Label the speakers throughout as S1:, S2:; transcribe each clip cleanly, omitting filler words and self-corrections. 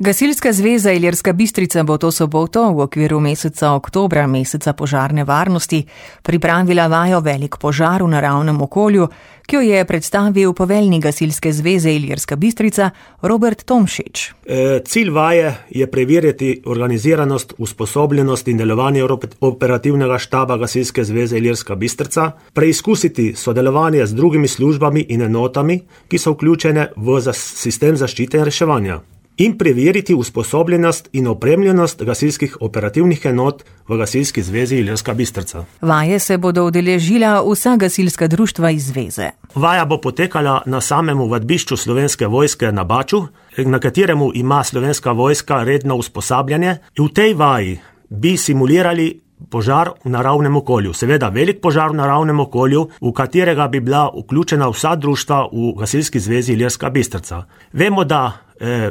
S1: Gasilska zveza Ilirska Bistrica bo to soboto v okviru meseca oktobra, meseca požarne varnosti, pripravila vajo Velik požar v naravnem okolju, ki jo je predstavil poveljnik Gasilske zveze Ilirska Bistrica Robert Tomšič.
S2: Cilj vaje je preveriti organiziranost, usposobljenost in delovanje operativnega štaba Gasilske zveze Ilirska Bistrica, preizkusiti sodelovanje z drugimi službami in enotami, ki so vključene v sistem zaščite in reševanja, in preveriti usposobljenost in opremljenost gasilskih operativnih enot v Gasilski zvezi Ilirska Bistrica.
S1: Vaje se bodo udeležila vsa gasilska društva iz zveze.
S2: Vaja bo potekala na samem vadbišču Slovenske vojske na Baču, na kateremu ima Slovenska vojska redno usposabljanje. V tej vaji bi simulirali požar v naravnem okolju, seveda velik požar v naravnem okolju, v katerega bi bila vključena vsa društva v Gasilski zvezi Ilirska Bistrica. Vemo, da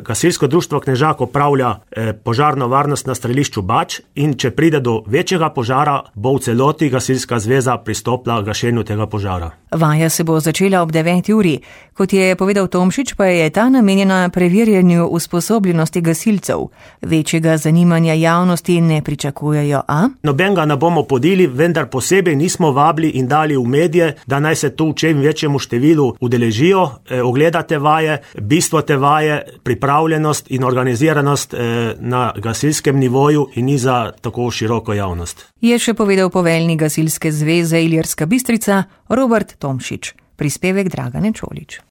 S2: Gasilsko društvo Knežak opravlja požarno varnost na strelišču Bač in če pride do večjega požara, bo v celoti Gasilska zveza pristopila gašenju tega požara.
S1: Vaja se bo začela ob 9. uri. Kot je povedal Tomšič, pa je ta namenjena preverjanju usposobljenosti gasilcev. Večjega zanimanja javnosti ne pričakujejo, a?
S2: Nobenega ne bomo podili, vendar posebej nismo vabili in dali v medije, da naj se tu v čem večjemu številu udeležijo, ogledate vaje, bistvo te vaje, pripravljenost in organiziranost na gasilskem nivoju in ni za tako široko javnost.
S1: Je še povedal poveljnik Gasilske zveze Ilirska Bistrica Robert Tomšič. Prispevek Dragane Čolić.